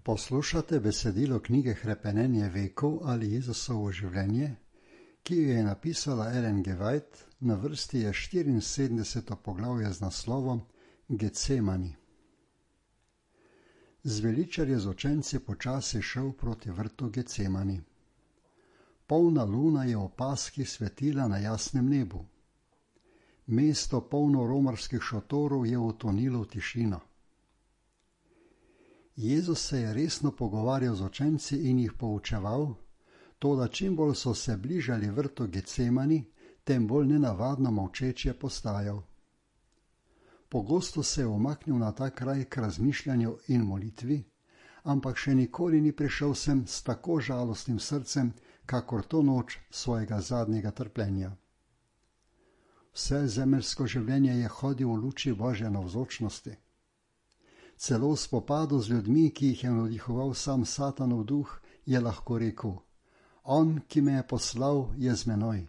Poslušate besedilo knjige Hrepenenje vekov ali Jezusovo življenje, ki jo je napisala Ellen G. White, na vrsti je 74. poglavje z naslovom Getsemani. Zveličar je z učenci počasi šel proti vrtu Getsemani. Polna luna je v Paski svetila na jasnem nebu. Mesto polno romarskih šotorov je utonilo v tišino. Jezus se je resno pogovarjal z učenci in jih poučeval, toda čim bolj so se bližali vrtu Getsemani, tem bolj nenavadno molčeč je postajal. Pogosto se je umaknil na ta kraj k razmišljanju in molitvi, ampak še nikoli ni prišel sem s tako žalostnim srcem, kakor to noč svojega zadnjega trpljenja. Vse zemeljsko življenje je hodil v luči Božje navzočnosti. Celo v spopadu z ljudmi, ki jih je navdihoval sam Satanov duh, je lahko rekel: On, ki me je poslal, je z menoj.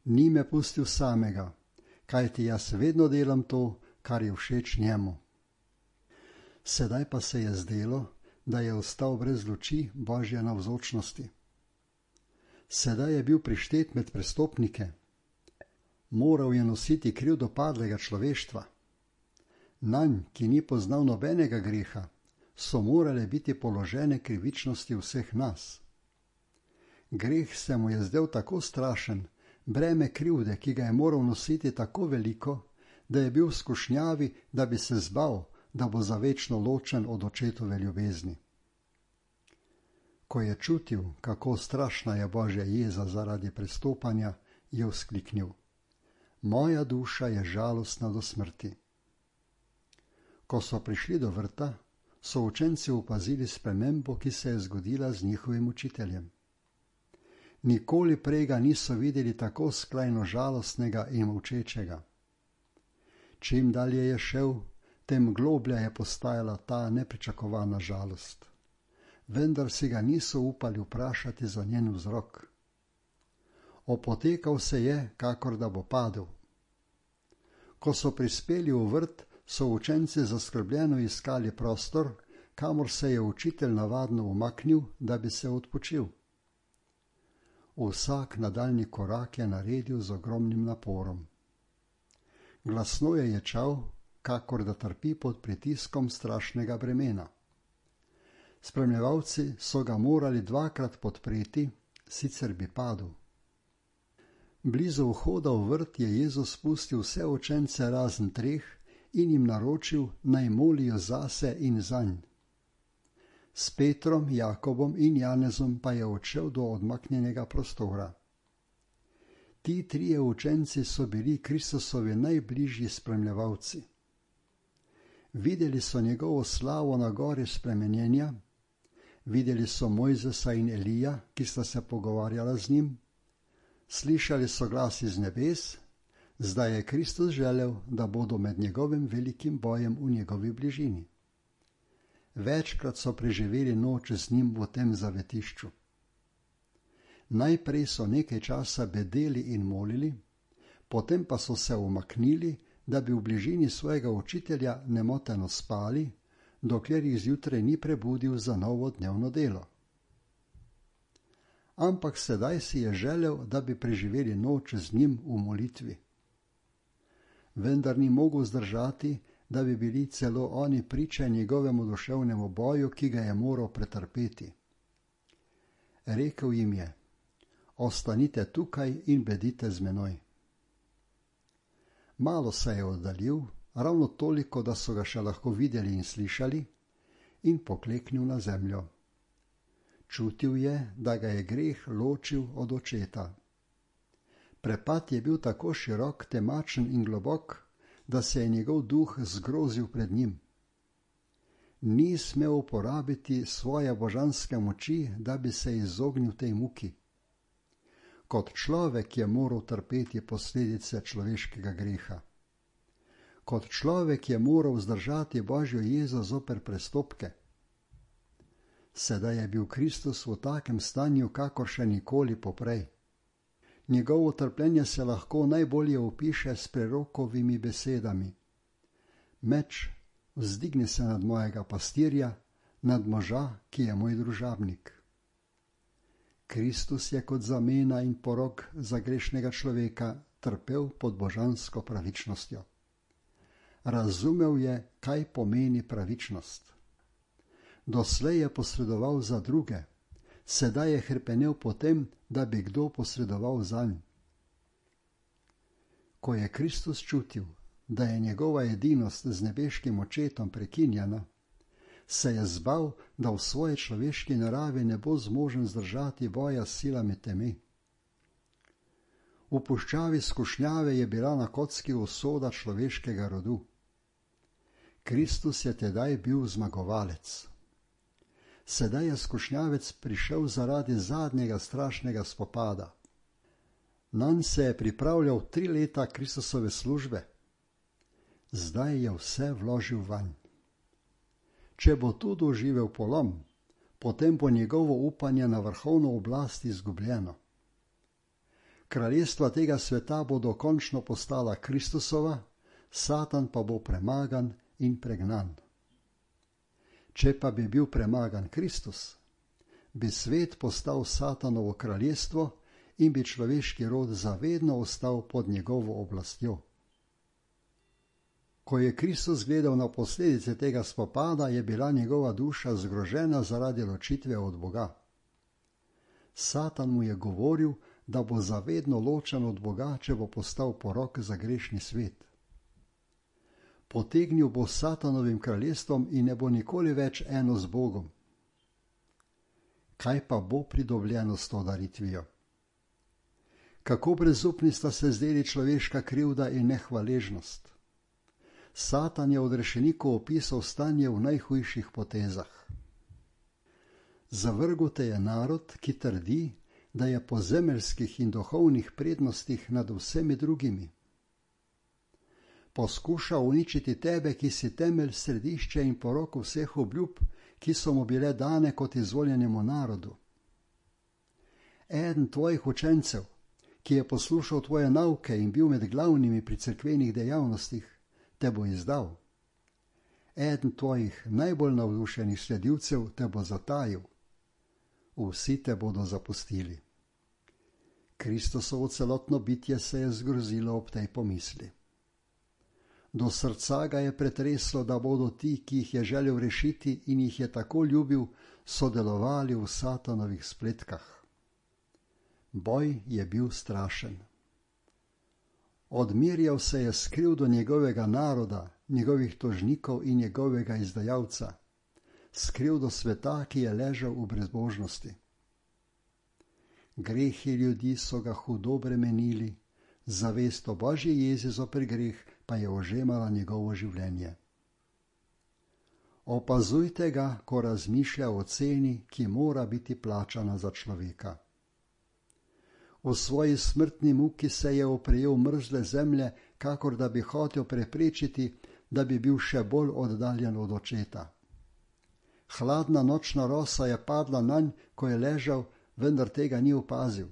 Ni me pustil samega, kajti jaz vedno delam to, kar je všeč njemu. Sedaj pa se je zdelo, da je ostal brez luči Božje navzočnosti. Sedaj je bil prištet med prestopnike. Moral je nositi krivdo padlega človeštva. Nanj, ki ni poznal nobenega greha, so morale biti položene krivičnosti vseh nas. Greh se mu je zdel tako strašen, breme krivde, ki ga je moral nositi, tako veliko, da je bil v skušnjavi, da bi se zbal, da bo za večno ločen od očetove ljubezni. Ko je čutil, kako strašna je Božja jeza zaradi prestopanja, je vzkliknil: Moja duša je žalostna do smrti. Ko so prišli do vrta, so učenci opazili spremembo, ki se je zgodila z njihovim učiteljem. Nikoli prej ga niso videli tako skrajno žalostnega in molčečega. Čim dalje je šel, tem globlja je postajala ta nepričakovana žalost. Vendar si ga niso upali vprašati za njen vzrok. Opotekal se je, kakor da bo padel. Ko so prispeli v vrt, so učenci zaskrbljeno iskali prostor, kamor se je učitelj navadno umaknil, da bi se odpočil. Vsak nadaljnji korak je naredil z ogromnim naporom. Glasno je ječal, kakor da trpi pod pritiskom strašnega bremena. Spremljevalci so ga morali dvakrat podpreti, sicer bi padel. Blizu vhoda v vrt je Jezus spustil vse učence razen 3 in jim naročil, naj molijo zase in zanj. S Petrom, Jakobom in Janezom pa je odšel do odmaknjenega prostora. Ti 3 učenci so bili Kristusovi najbližji spremljevalci. Videli so njegovo slavo na gori spremenjenja, videli so Mojzesa in Elija, ki sta se pogovarjala z njim, slišali so glas iz nebes, zdaj je Kristus želel, da bodo med njegovim velikim bojem v njegovi bližini. Večkrat so preživeli noč z njim v tem zavetišču. Najprej so nekaj časa bedeli in molili, potem pa so se umaknili, da bi v bližini svojega učitelja nemoteno spali, dokler jih zjutraj ni prebudil za novo dnevno delo. Ampak sedaj si je želel, da bi preživeli noč z njim v molitvi. Vendar ni mogel zdržati, da bi bili celo oni priče njegovemu duševnemu boju, ki ga je moral pretrpeti. Rekel jim je: Ostanite tukaj in bedite z menoj. Malo se je oddaljil, ravno toliko, da so ga še lahko videli in slišali, in pokleknil na zemljo. Čutil je, da ga je greh ločil od očeta. Prepad je bil tako širok, temačen in globok, da se je njegov duh zgrozil pred njim. Ni smel uporabiti svoje božanske moči, da bi se izognil tej muki. Kot človek je moral trpeti posledice človeškega greha. Kot človek je moral zdržati Božjo jezo zoper prestopke. Sedaj je bil Kristus v takem stanju, kakor še nikoli poprej. Njegovo trpljenje se lahko najbolje opiše s prerokovimi besedami: Meč, vzdigni se nad mojega pastirja, nad moža, ki je moj družabnik. Kristus je kot zamena in porok za grešnega človeka trpel pod božansko pravičnostjo. Razumel je, kaj pomeni pravičnost. Doslej je posredoval za druge, sedaj je hrepenel potem, da bi kdo posredoval zanj. Ko je Kristus čutil, da je njegova edinost z nebeškim očetom prekinjena, se je zbal, da v svoji človeški naravi ne bo zmožen zdržati boja s silami teme. V puščavi skušnjave je bila na kocki usoda človeškega rodu. Kristus je tedaj bil zmagovalec. Sedaj je skušnjavec prišel zaradi zadnjega strašnega spopada. Nanj se je pripravljal 3 leta Kristusove službe. Zdaj je vse vložil vanj. Če bo tu doživel polom, potem bo njegovo upanje na vrhovno oblast izgubljeno. Kraljestva tega sveta bodo končno postala Kristusova, Satan pa bo premagan in pregnan. Če pa bi bil premagan Kristus, bi svet postal Satanovo kraljestvo in bi človeški rod zavedno ostal pod njegovo oblastjo. Ko je Kristus gledal na posledice tega spopada, je bila njegova duša zgrožena zaradi ločitve od Boga. Satan mu je govoril, da bo zavedno ločen od Boga, če bo postal porok za grešni svet. Potegnil bo s Satanovim kraljestvom in ne bo nikoli več eno z Bogom. Kaj pa bo pridobljeno s to daritvijo? Kako brezupni sta se zdeli človeška krivda in nehvaležnost? Satan je odrešeniku opisal stanje v najhujših potezah. Zavrgel te je narod, ki trdi, da je po zemeljskih in duhovnih prednostih nad vsemi drugimi. Poskuša uničiti tebe, ki si temelj, središče in porok vseh obljub, ki so mu bile dane kot izvoljenemu narodu. Eden tvojih učencev, ki je poslušal tvoje nauke in bil med glavnimi pri cerkvenih dejavnostih, te bo izdal. Eden tvojih najbolj navdušenih sledilcev te bo zatajil. Vsi te bodo zapustili. Kristusovo celotno bitje se je zgrozilo ob tej pomisli. Do srca ga je pretreslo, da bodo ti, ki jih je želel rešiti in jih je tako ljubil, sodelovali v Satanovih spletkah. Boj je bil strašen. Odmirjal se je skril do njegovega naroda, njegovih tožnikov in njegovega izdajalca, skril do sveta, ki je ležal v brezbožnosti. Grehi ljudi so ga hudo bremenili, zavest o Božji jezi zoper greh pa je ožemala njegovo življenje. Opazujte ga, ko razmišlja o ceni, ki mora biti plačana za človeka. V svoji smrtni muki se je oprijel mrzle zemlje, kakor da bi hotel preprečiti, da bi bil še bolj oddaljen od očeta. Hladna nočna rosa je padla nanj, ko je ležal, vendar tega ni opazil.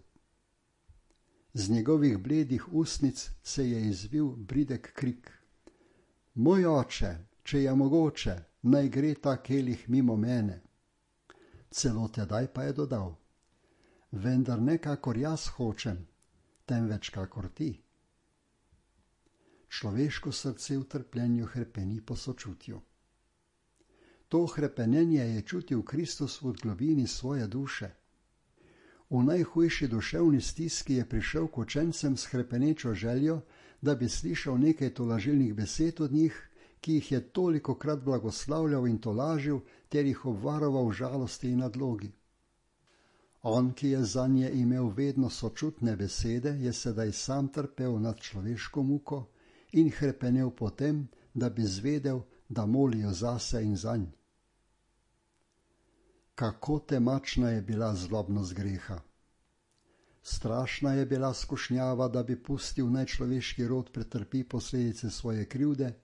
Z njegovih bledih ustnic se je izvil bridek krik. Moj oče, če je mogoče, naj gre ta kelih mimo mene. Celo tedaj pa je dodal, vendar ne kakor jaz hočem, temveč kakor ti. Človeško srce v trpljenju hrepeni po sočutju. To hrepenenje je čutil Kristus v globini svoje duše. V najhujši duševni stiski je prišel k učencem s hrepenečo željo, da bi slišal nekaj tolažilnih besed od njih, ki jih je tolikokrat blagoslavljal in tolažil, ter jih obvaroval žalosti in nadlogi. On, ki je zanje imel vedno sočutne besede, je sedaj sam trpel nad človeško muko in hrepenel potem, da bi zvedel, da molijo zase in zanj. Kako temačna je bila zlobnost greha. Strašna je bila skušnjava, da bi pustil naj človeški rod pretrpi posledice svoje krivde,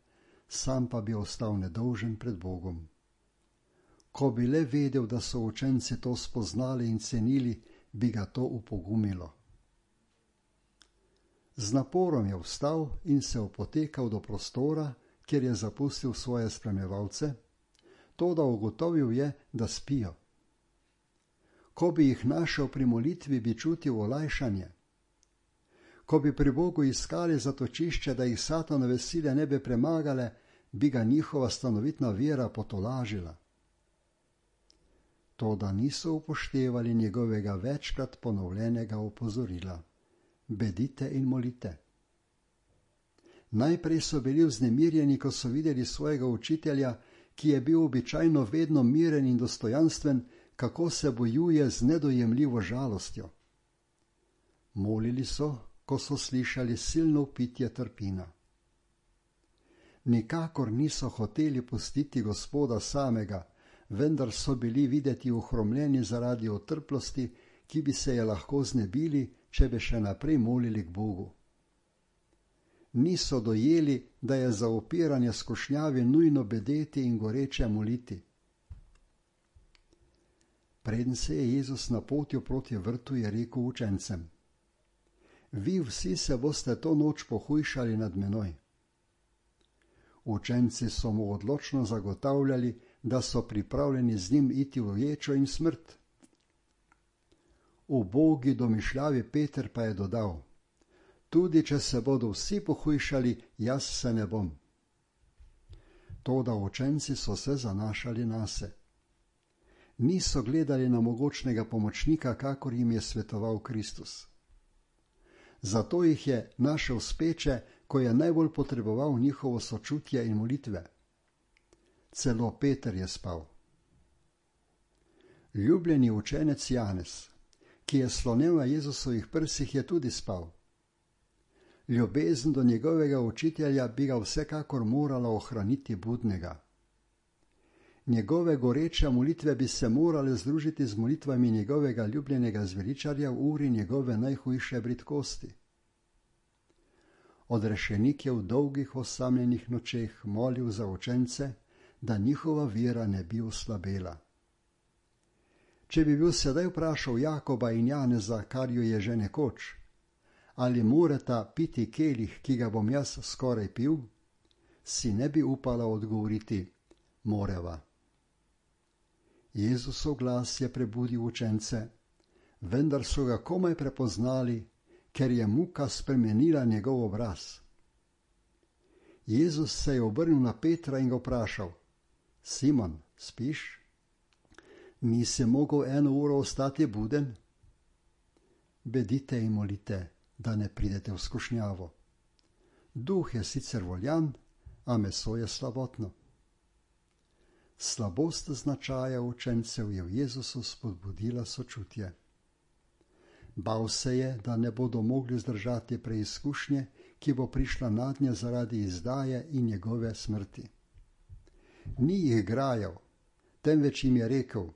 sam pa bi ostal nedolžen pred Bogom. Ko bi le vedel, da so učenci to spoznali in cenili, bi ga to upogumilo. Z naporom je vstal in se opotekal do prostora, kjer je zapustil svoje spremljevalce. toda ugotovil je, da spijo. Ko bi jih našel pri molitvi, bi čutil olajšanje. Ko bi pri Bogu iskali zatočišče, da jih Satanove sile ne bi premagale, bi ga njihova stanovitna vera potolažila. Toda niso upoštevali njegovega večkrat ponovljenega opozorila. Bedite in molite. Najprej so bili vznemirjeni, ko so videli svojega učitelja, ki je bil običajno vedno miren in dostojanstven, kako se bojuje z nedojemljivo žalostjo. Molili so, ko so slišali silno vpitje trpina. Nikakor niso hoteli pustiti Gospoda samega, vendar so bili videti ohromljeni zaradi otrplosti, ki bi se je lahko znebili, če bi še naprej molili k Bogu. Niso dojeli, da je za upiranje skušnjavi nujno bedeti in goreče moliti. Preden se je Jezus napotil proti vrtu, je rekel učencem: Vi vsi se boste to noč pohujšali nad menoj. Učenci so mu odločno zagotavljali, da so pripravljeni z njim iti v ječo in smrt. Ubogi domišljavi Peter pa je dodal: Tudi če se bodo vsi pohujšali, jaz se ne bom. Toda učenci so se zanašali nase. Niso gledali na mogočnega pomočnika, kakor jim je svetoval Kristus. Zato jih je našel speče, ko je najbolj potreboval njihovo sočutje in molitve. Celo Peter je spal. Ljubljeni učenec Janez, ki je slonel na Jezusovih prsih, je tudi spal. Ljubezen do njegovega učitelja bi ga vsekakor morala ohraniti budnega. Njegove goreče molitve bi se morale združiti z molitvami njegovega ljubljenega zveličarja v uri njegove najhujše bridkosti. Odrešenik je v dolgih osamljenih nočeh molil za učence, da njihova vera ne bi oslabela. Če bi bil sedaj vprašal Jakoba in Janeza, kar ju je že nekoč, ali morata piti kelih, ki ga bom jaz skoraj pil, si ne bi upala odgovoriti: moreva. Jezusov glas je prebudil učence, vendar so ga komaj prepoznali, ker je muka spremenila njegov obraz. Jezus se je obrnil na Petra in ga vprašal: Simon, spiš? Nisi mogel 1 uro ostati buden? Bedite in molite, da ne pridete v skušnjavo. Duh je sicer voljan, a meso je slabotno. Slabost značaja učencev je v Jezusu spodbudila sočutje. Bal se je, da ne bodo mogli zdržati preizkušnje, ki bo prišla nadnje zaradi izdaje in njegove smrti. Ni jih grajal, temveč jim je rekel: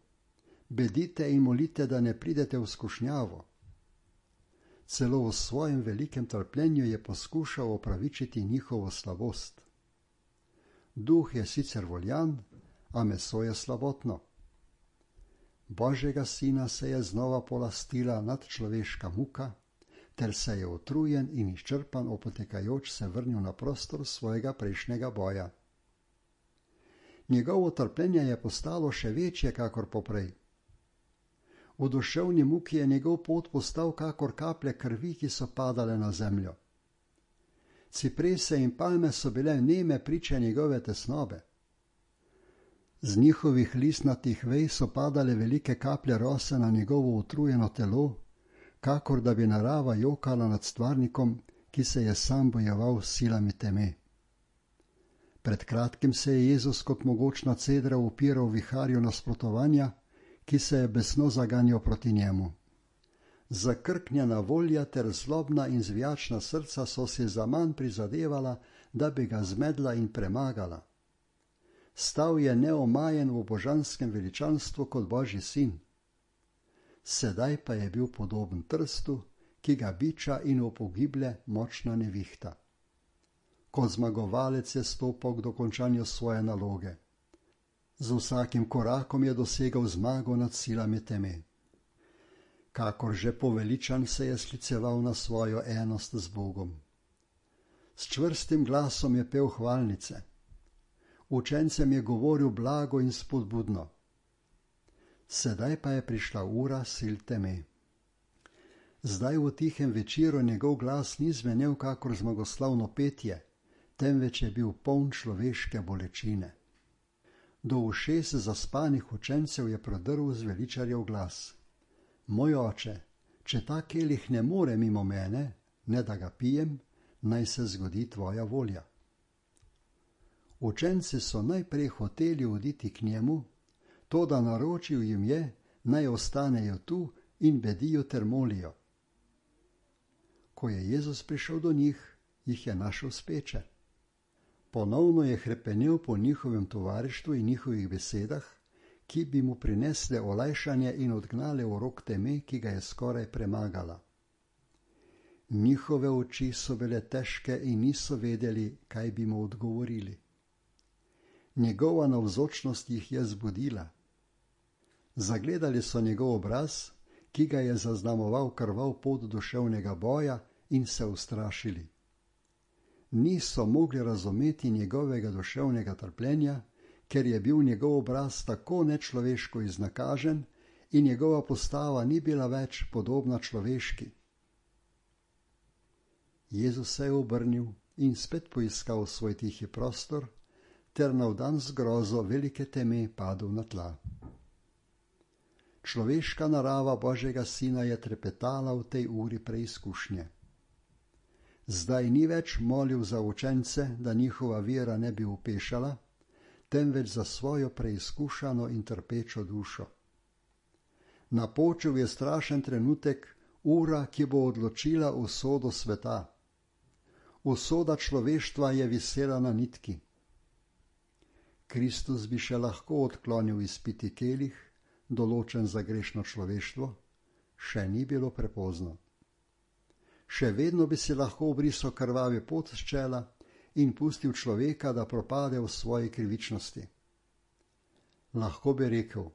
bedite in molite, da ne pridete v skušnjavo. Celo v svojem velikem trpljenju je poskušal opravičiti njihovo slabost. Duh je sicer voljan, a meso je slabotno. Božjega sina se je znova polastila nadčloveška muka, ter se je utrujen in izčrpan opotekajoč se vrnil na prostor svojega prejšnjega boja. Njegovo trpljenje je postalo še večje kakor poprej. V duševni muki je njegov pot postal kakor kaplje krvi, ki so padale na zemljo. Ciprese in palme so bile neme priče njegove tesnobe. Z njihovih listnatih vej so padale velike kaplje rose na njegovo utrujeno telo, kakor da bi narava jokala nad stvarnikom, ki se je sam bojeval s silami teme. Pred kratkim se je Jezus kot mogočna cedra upiral viharju nasprotovanja, ki se je besno zaganjal proti njemu. Zakrknjena volja ter zlobna in zvijačna srca so si zaman prizadevala, da bi ga zmedla in premagala. Stal je neomajen v božanskem veličanstvu kot Božji sin. Sedaj pa je bil podoben trstu, ki ga biča in upogiblje močna nevihta. Kot zmagovalec je stopal k dokončanju svoje naloge. Z vsakim korakom je dosegal zmago nad silami teme. Kakor že poveličan se je skliceval na svojo enost z Bogom. S čvrstim glasom je pel hvalnice. Učencem je govoril blago in spodbudno. Sedaj pa je prišla ura sil teme. Zdaj v tihem večeru njegov glas ni zvenel kakor zmagoslavno petje, temveč je bil poln človeške bolečine. Do ušes zaspanih učencev je prodrl zveličarjev glas. Moj oče, če ta kelih ne more mimo mene, ne da ga pijem, naj se zgodi tvoja volja. Učenci so najprej hoteli oditi k njemu, toda naročil jim je, naj ostanejo tu in bedijo ter molijo. Ko je Jezus prišel do njih, jih je našel speče. Ponovno je hrepenel po njihovem tovarištvu in njihovih besedah, ki bi mu prinesle olajšanje in odgnale urok teme, ki ga je skoraj premagala. Njihove oči so bile težke in niso vedeli, kaj bi mu odgovorili. Njegova navzočnost jih je zbudila. Zagledali so njegov obraz, ki ga je zaznamoval krvav pot duševnega boja, in se ustrašili. Niso mogli razumeti njegovega duševnega trpljenja, ker je bil njegov obraz tako nečloveško iznakažen in njegova postava ni bila več podobna človeški. Jezus se je obrnil in spet poiskal svoj tihi prostor, ter navdan z grozo velike teme padel na tla. Človeška narava Božjega Sina je trepetala v tej uri preizkušnje. Zdaj ni več molil za učence, da njihova vera ne bi upešala, temveč za svojo preizkušano in trpečo dušo. Napočil je strašen trenutek, ura, ki bo odločila usodo sveta. Usoda človeštva je visela na nitki. Kristus bi še lahko odklonil izpiti kelih, določen za grešno človeštvo, še ni bilo prepozno. Še vedno bi si lahko obrisal krvavi pot s čela in pustil človeka, da propade v svoji krivičnosti. Lahko bi rekel,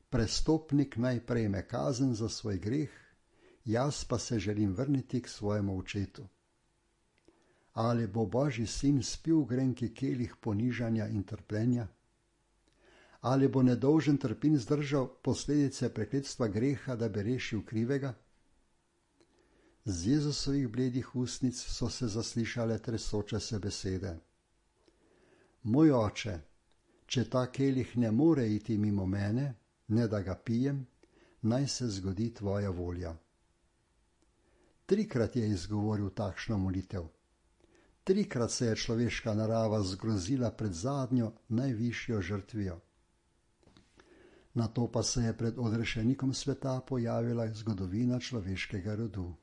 prestopnik naj prejme kazen za svoj greh, jaz pa se želim vrniti k svojemu očetu. Ali bo Božji sin spil grenki kelih ponižanja in trpljenja? Ali bo nedolžen trpin zdržal posledice prekletstva greha, da bi rešil krivega? Z Jezusovih bledih ustnic so se zaslišale tresoče se besede. Moj oče, če ta kelih ne more iti mimo mene, ne da ga pijem, naj se zgodi tvoja volja. 3-krat je izgovoril takšno molitev. 3-krat se je človeška narava zgrozila pred zadnjo, najvišjo žrtvijo. Nato pa se je pred odrešenikom sveta pojavila zgodovina človeškega rodu.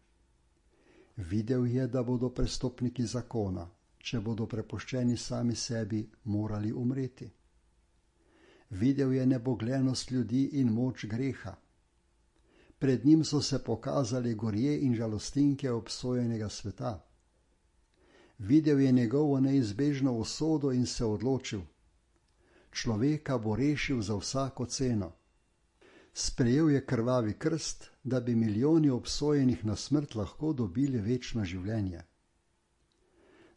Videl je, da bodo prestopniki zakona, če bodo prepuščeni sami sebi, morali umreti. Videl je neboglenost ljudi in moč greha. Pred njim so se pokazali gorje in žalostinke obsojenega sveta. Videl je njegovo neizbežno usodo in se odločil. Človeka bo rešil za vsako ceno. Sprejel je krvavi krst, da bi milijoni obsojenih na smrt lahko dobili večno življenje.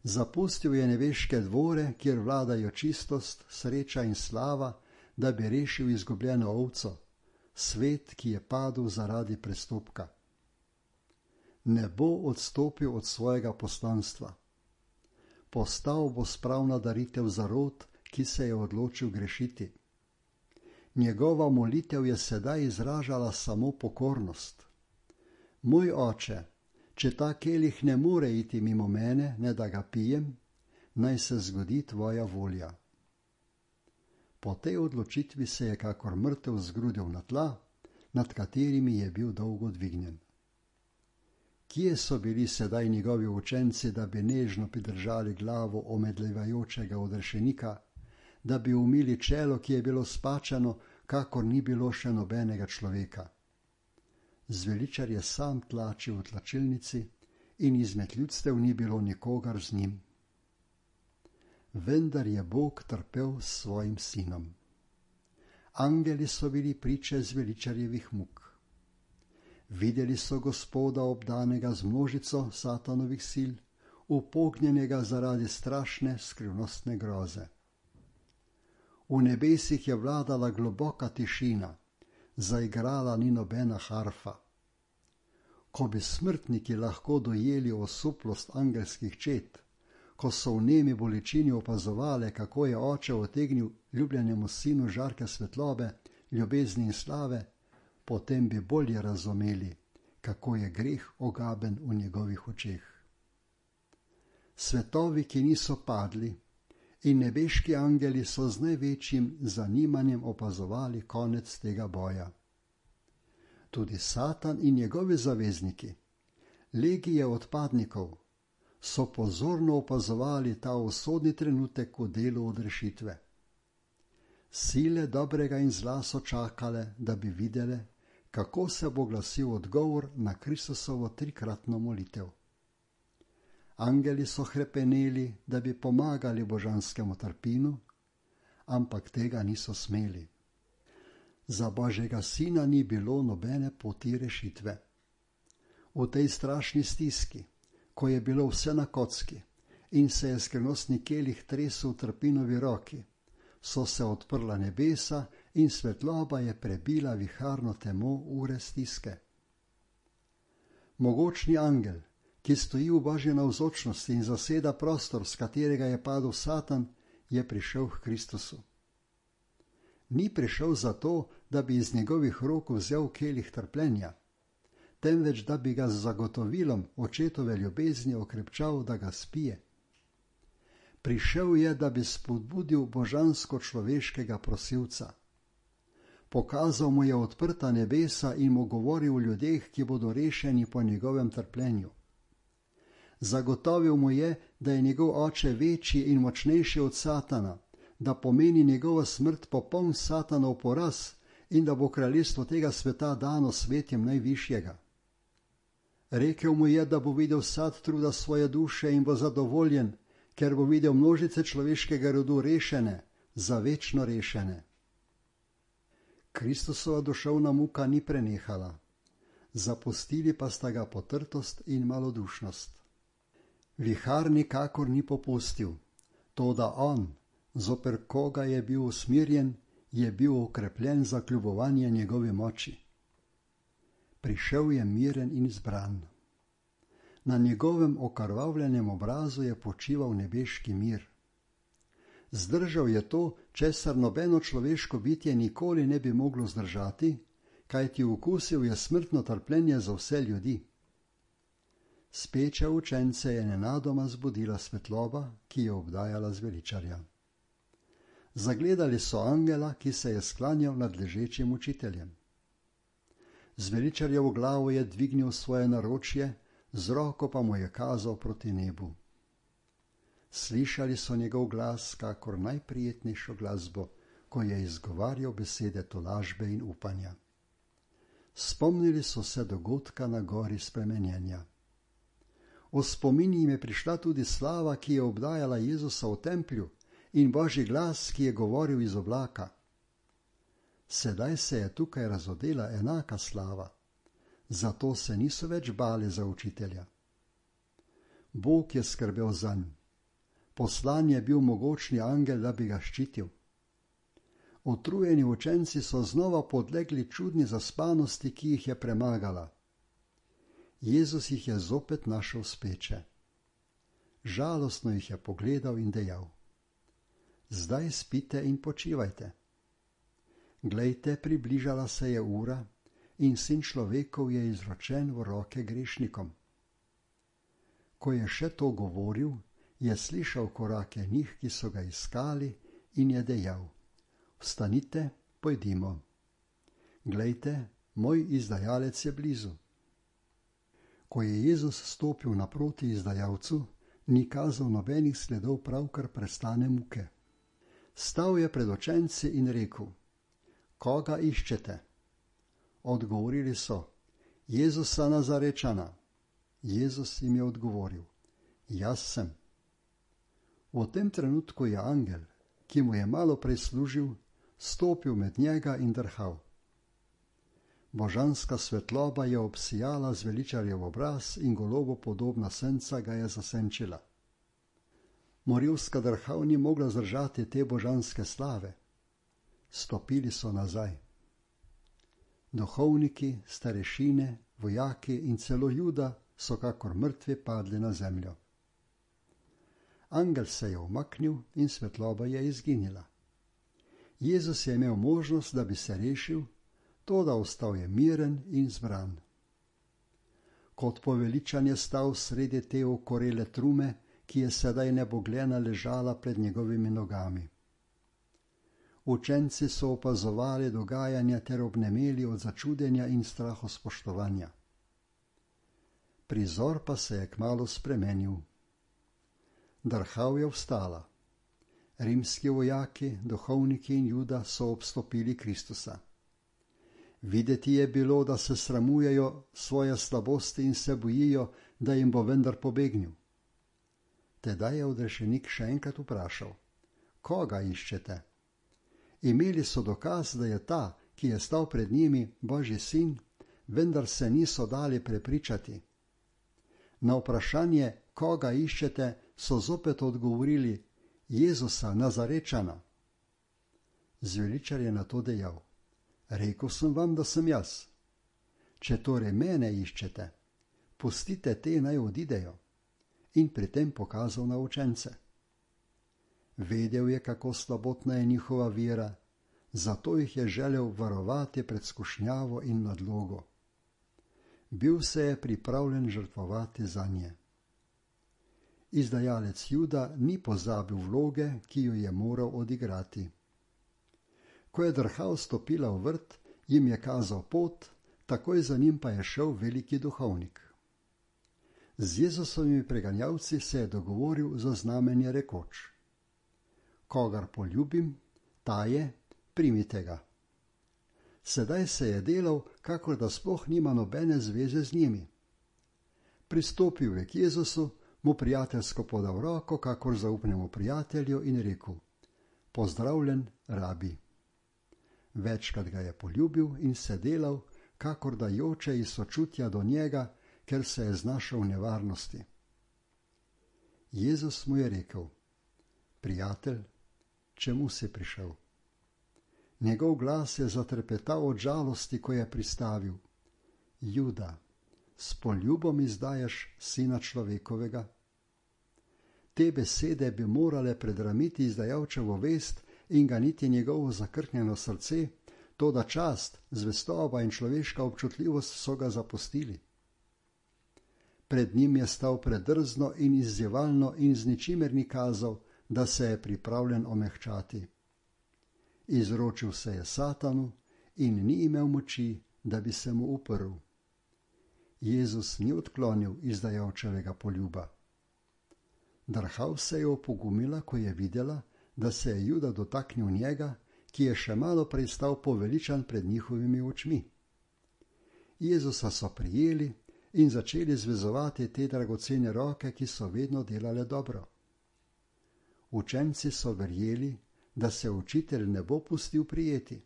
Zapustil je nebeške dvore, kjer vladajo čistost, sreča in slava, da bi rešil izgubljeno ovco, svet, ki je padel zaradi prestopka. Ne bo odstopil od svojega poslanstva. Postal bo spravna daritev za rod, ki se je odločil grešiti. Njegova molitev je sedaj izražala samo pokornost. Moj oče, če ta kelih ne more iti mimo mene, ne da ga pijem, naj se zgodi tvoja volja. Po tej odločitvi se je kakor mrtev zgrudil na tla, nad katerimi je bil dolgo dvignjen. Kje so bili sedaj njegovi učenci, da bi nežno pridržali glavo omedlevajočega odrešenika, da bi umili čelo, ki je bilo spačano, kakor ni bilo še nobenega človeka. Zveličar je sam tlačil v tlačilnici in izmed ljudstev ni bilo nikogar z njim. Vendar je Bog trpel s svojim sinom. Angeli so bili priče zveličarjevih muk. Videli so Gospoda obdanega z množico satanovih sil, upognjenega zaradi strašne skrivnostne groze. V nebesih je vladala globoka tišina, zaigrala ni nobena harfa. Ko bi smrtniki lahko dojeli osuplost angelskih čet, ko so v nemi bolečini opazovali, kako je oče otegnil ljubljenemu sinu žarke svetlobe, ljubezni in slave, potem bi bolje razumeli, kako je greh ogaben v njegovih očeh. Svetovi, ki niso padli, in nebeški angeli so z največjim zanimanjem opazovali konec tega boja. Tudi Satan in njegovi zavezniki, legije odpadnikov, so pozorno opazovali ta usodni trenutek v delu odrešitve. Sile dobrega in zla so čakale, da bi videle, kako se bo glasil odgovor na Kristusovo trikratno molitev. Angeli so hrepeneli, da bi pomagali božanskemu trpinu, ampak tega niso smeli. Za Božjega sina ni bilo nobene poti rešitve. V tej strašni stiski, ko je bilo vse na kocki in se je skrivnostni kelih tresel v trpinovi roki, so se odprla nebesa in svetloba je prebila viharno temo ure stiske. Mogočni angel, ki stoji v Božji navzočnosti in zaseda prostor, z katerega je padel Satan, je prišel k Kristusu. Ni prišel zato, da bi iz njegovih rok vzel kelih trpljenja, temveč da bi ga z zagotovilom očetove ljubezni okrepčal, da ga spije. Prišel je, da bi spodbudil božansko-človeškega prosilca. Pokazal mu je odprta nebesa in mu govoril o ljudeh, ki bodo rešeni po njegovem trpljenju. Zagotovil mu je, da je njegov oče večji in močnejši od Satana, da pomeni njegova smrt popoln Satanov poraz in da bo kraljestvo tega sveta dano svetjem najvišjega. Rekel mu je, da bo videl sad truda svoje duše in bo zadovoljen, ker bo videl množice človeškega rodu rešene, za večno rešene. Kristusova duševna muka ni prenehala, zapustili pa sta ga potrtost in malodušnost. Vihar nikakor ni popustil, toda on, zoper koga je bil usmirjen, je bil okrepljen za kljubovanje njegovi moči. Prišel je miren in zbran. Na njegovem okrvavljenem obrazu je počival nebeški mir. Zdržal je to, česar nobeno človeško bitje nikoli ne bi moglo zdržati, kajti okusil je smrtno trpljenje za vse ljudi. Speče učence je nenadoma zbudila svetloba, ki je obdajala zveličarja. Zagledali so angela, ki se je sklanjal nad ležečim učiteljem. Zveličarjevo glavo je dvignil svoje naročje, z roko pa mu je kazal proti nebu. Slišali so njegov glas, kakor najprijetnejšo glasbo, ko je izgovarjal besede tolažbe in upanja. Spomnili so se dogodka na gori spremenjenja. V spomin jim je prišla tudi slava, ki je obdajala Jezusa v templju, in Božji glas, ki je govoril iz oblaka. Sedaj se je tukaj razodela enaka slava, zato se niso več bali za učitelja. Bog je skrbel zanj. Poslan je bil mogočni angel, da bi ga ščitil. Utrujeni učenci so znova podlegli čudni zaspanosti, ki jih je premagala. Jezus jih je zopet našel speče. Žalostno jih je pogledal in dejal: Zdaj spite in počivajte. Glejte, približala se je ura in sin človekov je izročen v roke grešnikom. Ko je še to govoril, je slišal korake njih, ki so ga iskali, in je dejal: Vstanite, pojdimo. Glejte, moj izdajalec je blizu. Ko je Jezus stopil naproti izdajalcu, ni kazal nobenih sledov pravkar prestane muke. Stal je pred učenci in rekel: Koga iščete? Odgovorili so: Jezusa Nazarečana. Jezus jim je odgovoril: Jaz sem. V tem trenutku je angel, ki mu je malo prej služil, stopil med njega in drhal. Božanska svetloba je obsijala zveličarjev obraz in golobo podobna senca ga je zasenčila. Morilska drhav ni mogla zdržati te božanske slave, Stopili so nazaj. Duhovniki, starešine, vojaki in celo Juda so kakor mrtvi padli na zemljo. Angel se je umaknil in svetloba je izginila. Jezus je imel možnost, da bi se rešil, toda ostal je miren in zbran. Kot poveličan je stal sredi te okorele trume, ki je sedaj nebogljena ležala pred njegovimi nogami. Učenci so opazovali dogajanja ter obnemeli od začudenja in strahospoštovanja. Prizor pa se je kmalu spremenil. Drhal je vstala. Rimski vojaki, duhovniki in Juda so obstopili Kristusa. Videti je bilo, da se sramujejo svoje slabosti in se bojijo, da jim bo vendar pobegnil. Tedaj je odrešenik še enkrat vprašal: koga iščete? Imeli so dokaz, da je ta, ki je stal pred njimi, Božji sin, vendar se niso dali prepričati. Na vprašanje, koga iščete, so zopet odgovorili: Jezusa, Nazarečana. Zveličar je na to dejal: rekel sem vam, da sem jaz. Če torej mene iščete, pustite te naj odidejo. In pri tem pokazal na učence. Vedel je, kako slabotna je njihova vera, zato jih je želel varovati pred skušnjavo in nadlogo. Bil se je pripravljen žrtvovati zanje. Izdajalec Juda ni pozabil vloge, ki jo je moral odigrati. Ko je drhal stopila v vrt, jim je kazal pot, takoj za njim pa je šel veliki duhovnik. Z Jezusovimi preganjalci se je dogovoril za znamenje rekoč: kogar poljubim, ta je, primite ga. Sedaj se je delal, kakor da sploh nima nobene zveze z njimi. Pristopil je k Jezusu, mu prijateljsko podal roko, kakor zaupnemu prijatelju, in rekel: pozdravljen, rabi. Večkrat ga je poljubil in se delal, kakor da joče iz sočutja do njega, ker se je znašel v nevarnosti. Jezus mu je rekel: prijatelj, čemu si prišel? Njegov glas je zatrepetal od žalosti, ko je pristavil: Juda, s poljubom izdajaš sina človekovega? Te besede bi morale predramiti izdajalčevo vest in ganiti njegovo zakrknjeno srce, toda čast, zvestoba in človeška občutljivost so ga zapustili. Pred njim je stal predrzno in izzivalno in z ničimer ni kazal, da se je pripravljen omehčati. Izročil se je Satanu in ni imel moči, da bi se mu uprl. Jezus ni odklonil izdajalčevega poljuba. Drhal se je opogumila, ko je videla, da se je Juda dotaknil njega, ki je še malo prej stal poveličan pred njihovimi očmi. Jezusa so prijeli in začeli zvezovati te dragocene roke, ki so vedno delale dobro. Učenci so verjeli, da se učitelj ne bo pustil prijeti.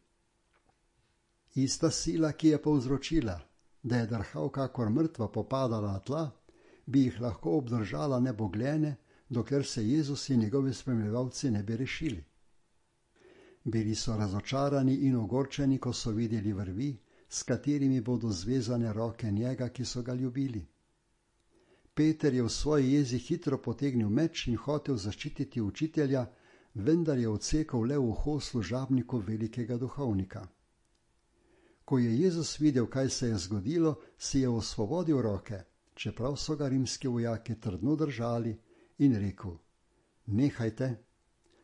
Ista sila, ki je povzročila, da je drhal kakor mrtva popadala na tla, bi jih lahko obdržala nebogljene, dokler se Jezus in njegovi spremljevalci ne bi rešili. Bili so razočarani in ogorčeni, ko so videli vrvi, s katerimi bodo zvezane roke njega, ki so ga ljubili. Peter je v svoji jezi hitro potegnil meč in hotel zaščititi učitelja, vendar je odsekal le uho služabniku velikega duhovnika. Ko je Jezus videl, kaj se je zgodilo, si je osvobodil roke, čeprav so ga rimski vojaki trdno držali, in rekel: nehajte,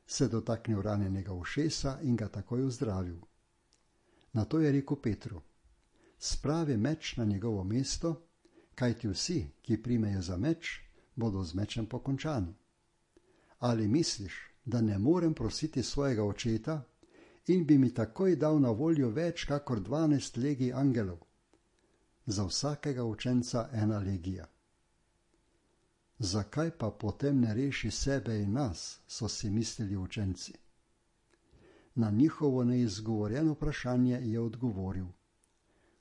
se dotaknil ranjenega ušesa in ga takoj ozdravil. Nato je rekel Petru: spravi meč na njegovo mesto, kajti vsi, ki primejo za meč, bodo z mečem pokončani. Ali misliš, da ne morem prositi svojega očeta in bi mi takoj dal na voljo več kakor 12 legij angelov? Za vsakega učenca 1 legija. Zakaj pa potem ne reši sebe in nas, so si mislili učenci. Na njihovo neizgovorjeno vprašanje je odgovoril: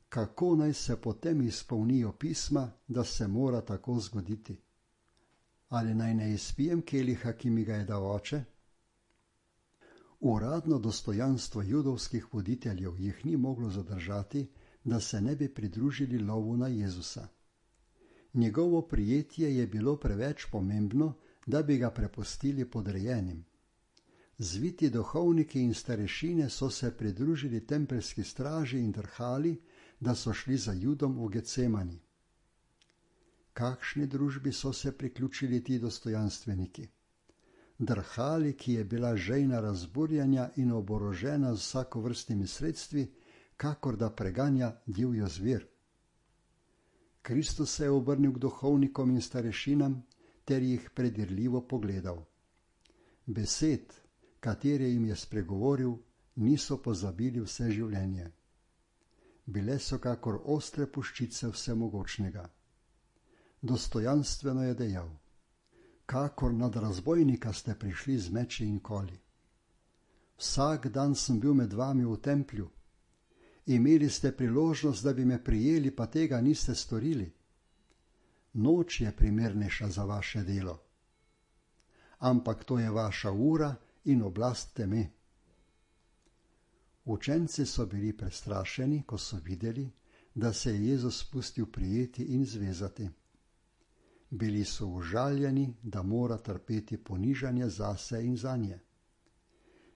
kako naj se potem izpolnijo pisma, da se mora tako zgoditi? Ali naj ne izpijem keliha, ki mi ga je dal oče? Uradno dostojanstvo judovskih voditeljev jih ni moglo zadržati, da se ne bi pridružili lovu na Jezusa. Njegovo prijetje je bilo preveč pomembno, da bi ga prepustili podrejenim. Zviti duhovniki in starešine so se pridružili tempeljski straži in drhali, da so šli za Judom v Getsemani. Kakšni družbi so se priključili ti dostojanstveniki? Drhali, ki je bila žejna razburjanja in oborožena z vsakovrstnimi sredstvi, kakor da preganja divjo zver. Kristus se je obrnil k duhovnikom in starešinam ter jih predirljivo pogledal. Besed, katere jim je spregovoril, niso pozabili vse življenje. Bile so kakor ostre puščice vsemogočnega. Dostojanstveno je dejal: kakor nad razbojnika ste prišli z meči in koli. Vsak dan sem bil med vami v templju. Imeli ste priložnost, da bi me prijeli, pa tega niste storili. Noč je primernejša za vaše delo. Ampak to je vaša ura in oblast teme. Učenci so bili prestrašeni, ko so videli, da se je Jezus spustil prijeti in zvezati. Bili so užaljeni, da mora trpeti ponižanje zase in zanje.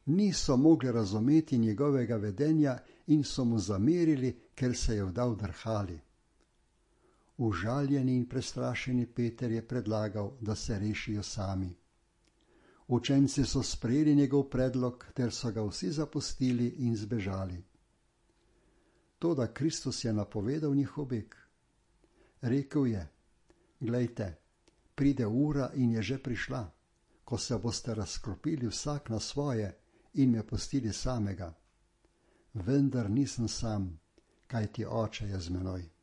Niso mogli razumeti njegovega vedenja in so mu zamerili, ker se je vdal drhali. Užaljeni in prestrašeni Peter je predlagal, da se rešijo sami. Učenci so sprejeli njegov predlog, ter so ga vsi zapustili in zbežali. Toda Kristus je napovedal njihov beg. Rekel je: glejte, pride ura in je že prišla, ko se boste razklopili vsak na svoje in me pustili samega. Vendar nisem sam, kajti Oče je z menoj.